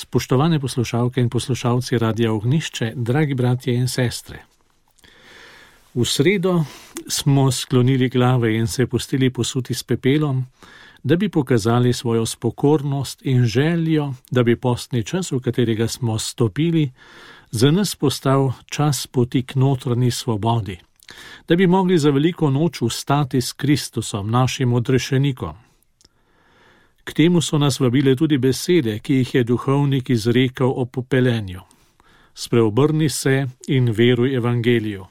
Spoštovane poslušalke in poslušalci Radia Ognjišče, dragi bratje in sestre. V sredo smo sklonili glave in se pustili posuti s pepelom, da bi pokazali svojo spokornost in željo, da bi postni čas, v katerega smo stopili, za nas postal čas poti k notranji svobodi, da bi mogli za veliko noč vstati s Kristusom, našim odrešenikom. K temu so nas vabile tudi besede, ki jih je duhovnik izrekel o popelenju. Spreobrni se in veruj evangeliju.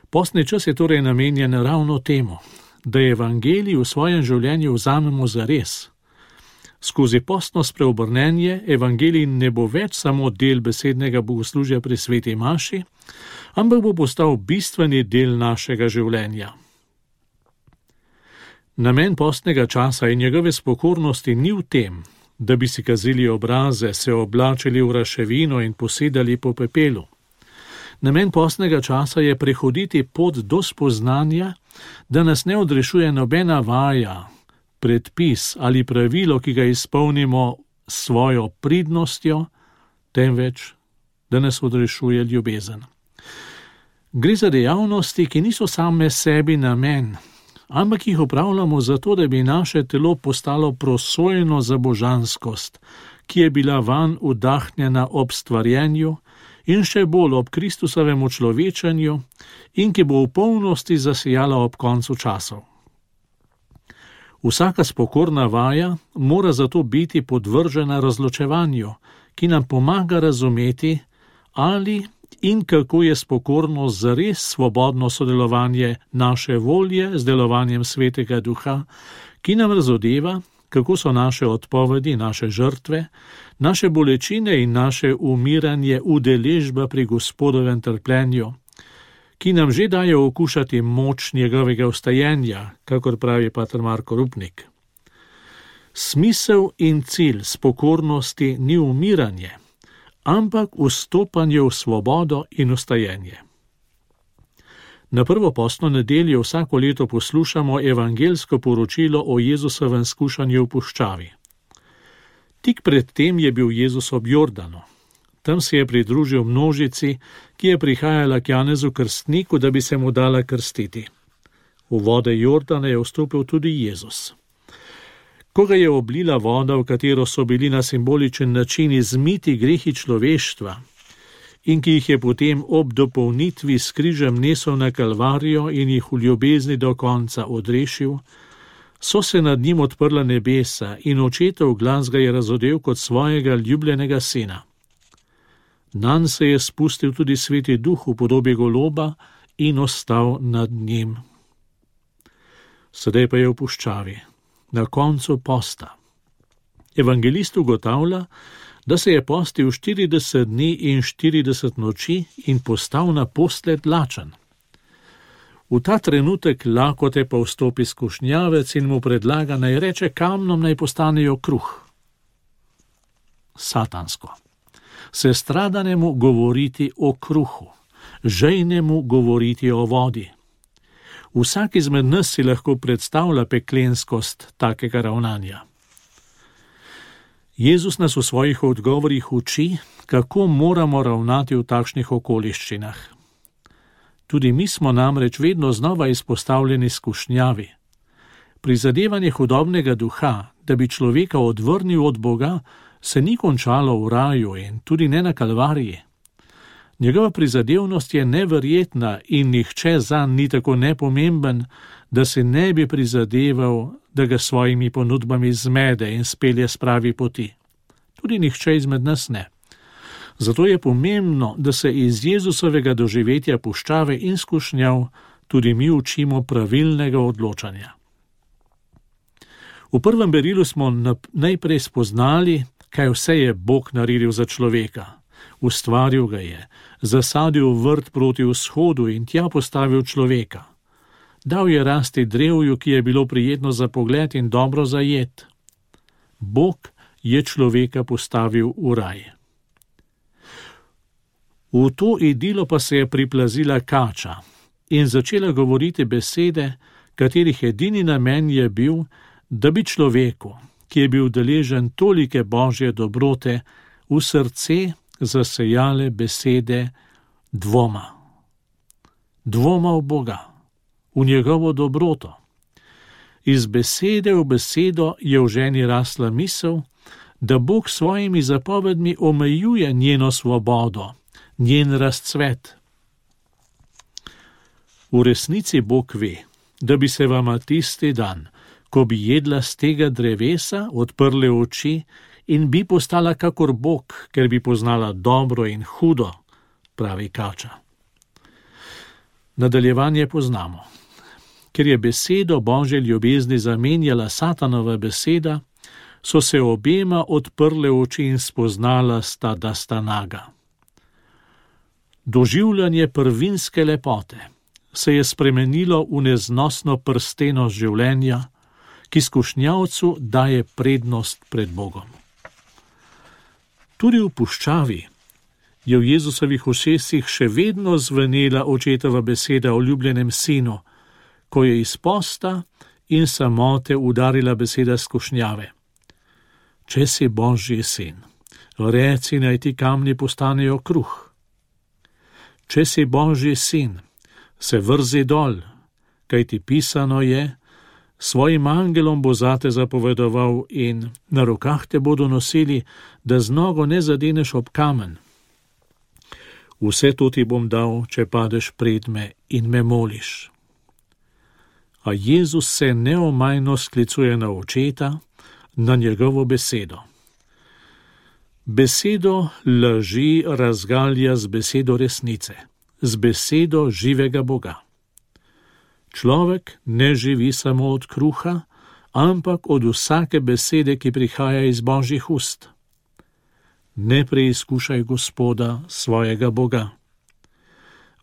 Postni čas je torej namenjen ravno temu, da evangelij v svojem življenju vzamemo zares. Skozi postno spreobrnenje evangelij ne bo več samo del besednega bogoslužja pri sveti maši, ampak bo postal bistveni del našega življenja. Namen postnega časa in njegove spokornosti ni v tem, da bi si kazili obraze, se oblačili v raševino in posedali po pepelu. Namen postnega časa je prehoditi pot do spoznanja, da nas ne odrešuje nobena vaja, predpis ali pravilo, ki ga izpolnimo s svojo pridnostjo, temveč, da nas odrešuje ljubezen. Gre za dejavnosti, ki niso same sebi namen, ampak jih opravljamo zato, da bi naše telo postalo prosojeno za božanskost, ki je bila vanj vdahnjena ob stvarjenju in še bolj ob Kristusovem učlovečenju in ki bo v polnosti zasijala ob koncu časov. Vsaka spokorna vaja mora zato biti podvržena razločevanju, ki nam pomaga razumeti, ali in kako je spokornost zares svobodno sodelovanje naše volje z delovanjem Svetega Duha, ki nam razodeva, kako so naše odpovedi, naše žrtve, naše bolečine in naše umiranje udeležba pri Gospodovem trpljenju, ki nam že daje okušati moč njegovega vstajenja, kakor pravi pater Marko Rupnik. Smisel in cilj spokornosti ni umiranje, ampak vstopanje v svobodo in vstajenje. Na prvo postno nedeljo vsako leto poslušamo evangeljsko poročilo o Jezusovem skušanju v puščavi. Tik pred tem je bil Jezus ob Jordanu. Tam se je pridružil množici, ki je prihajala k Janezu Krstniku, da bi se mu dala krstiti. V vode Jordana je vstopil tudi Jezus. Ko ga je oblila voda, v katero so bili na simboličen način izmiti grehi človeštva in ki jih je potem ob dopolnitvi s križem nesel na Kalvarijo in jih v ljubezni do konca odrešil, so se nad njim odprla nebesa in očetov glas ga je razodel kot svojega ljubljenega sina. Nanj se je spustil tudi Sveti Duh v podobi goloba in ostal nad njim. Sedaj pa je v puščavi, na koncu posta. Evangelist ugotavlja, da se je postil 40 dni in 40 noči in postal naposled lačen. V ta trenutek lakote pa vstopi skušnjavec in mu predlaga, naj reče kamnom, naj postanejo kruh. Satansko. Sestradanemu govoriti o kruhu, žejnemu govoriti o vodi. Vsak izmed nas si lahko predstavlja peklenskost takega ravnanja. Jezus nas v svojih odgovorih uči, kako moramo ravnati v takšnih okoliščinah. Tudi mi smo namreč vedno znova izpostavljeni skušnjavi. Prizadevanje hudobnega duha, da bi človeka odvrnil od Boga, se ni končalo v raju in tudi ne na Kalvariji. Njegova prizadevnost je neverjetna in nihče zanj ni tako nepomemben, da se ne bi prizadeval, da ga svojimi ponudbami zmede in spelje s pravi poti. Tudi nihče izmed nas ne. Zato je pomembno, da se iz Jezusovega doživetja puščave in skušnjav tudi mi učimo pravilnega odločanja. V prvem berilu smo najprej spoznali, kaj vse je Bog naredil za človeka. Ustvaril ga je, zasadil vrt proti vzhodu in tja postavil človeka. Dal je rasti drevju, ki je bilo prijetno za pogled in dobro za jed. Bog je človeka postavil v raj. V to idilo pa se je priplazila kača in začela govoriti besede, katerih edini namen je bil, da bi človeku, ki je bil deležen tolike božje dobrote, v srce zasejale besede dvoma. Dvoma v Boga, v njegovo dobroto. Iz besede v besedo je v ženi rasla misel, da Bog s svojimi zapovedmi omejuje njeno svobodo, njen razcvet. V resnici Bog ve, da bi se vama tisti dan, ko bi jedla z tega drevesa, odprle oči in bi postala kakor Bog, ker bi poznala dobro in hudo, pravi Kača. Nadaljevanje poznamo. Ker je besedo Božje ljubezni zamenjala Satanova beseda, so se obema odprle oči in spoznala sta, da sta naga. Doživljanje prvinske lepote se je spremenilo v neznosno prstenost življenja, ki skušnjavcu daje prednost pred Bogom. Tudi v puščavi je v Jezusovih ušesih še vedno zvenela očetova beseda o ljubljenem sinu, ko je iz posta in samote udarila beseda skušnjave. Če si Božji sin, reci, naj ti kamni postanejo kruh. Če si Božji sin, se vrzi dol, kajti pisano je, svojim angelom bo zate zapovedoval in na rokah te bodo nosili, da z nogo ne zadeneš ob kamen. Vse to ti bom dal, če padeš pred me in me moliš. A Jezus se neomajno sklicuje na očeta, na njegovo besedo. Besedo laži razgalja z besedo resnice, z besedo živega Boga. Človek ne živi samo od kruha, ampak od vsake besede, ki prihaja iz Božjih ust. Ne preizkušaj Gospoda svojega Boga.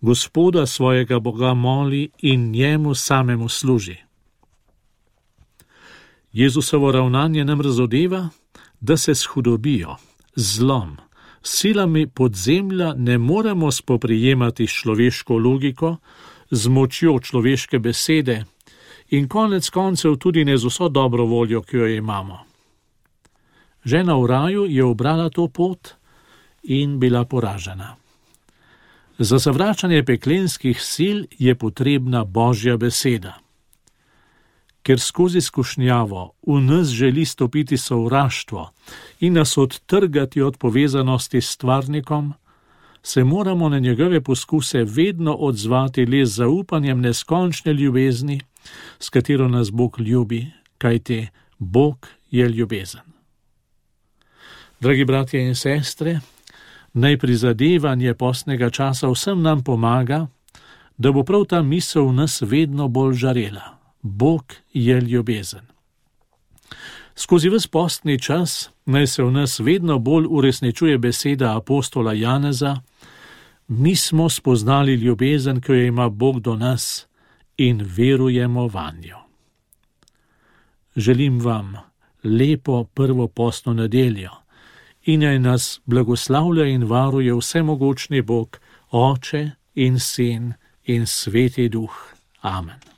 Gospoda svojega Boga moli in njemu samemu služi. Jezusovo ravnanje nam razodeva, da se s hudobijo, zlom, silami podzemlja ne moremo spoprijemati s človeško logiko, z močjo človeške besede in konec koncev tudi ne z vso dobro voljo, ki jo imamo. Žena v raju je ubrala to pot in bila poražena. Za zavračanje peklenskih sil je potrebna Božja beseda. Ker skozi skušnjavo v nas želi stopiti sovraštvo in nas odtrgati od povezanosti s stvarnikom, se moramo na njegove poskuse vedno odzvati le z zaupanjem neskončne ljubezni, s katero nas Bog ljubi, kajti Bog je ljubezen. Dragi bratje in sestre, naj prizadevanje postnega časa vsem nam pomaga, da bo prav ta misel v nas vedno bolj žarela. Bog je ljubezen. Skozi ves postni čas naj se v nas vedno bolj uresničuje beseda apostola Janeza: mi smo spoznali ljubezen, ki jo ima Bog do nas, in verujemo vanjo. Želim vam lepo prvo postno nedeljo in naj nas blagoslavlja in varuje vsemogočni Bog, Oče in Sin in Sveti Duh. Amen.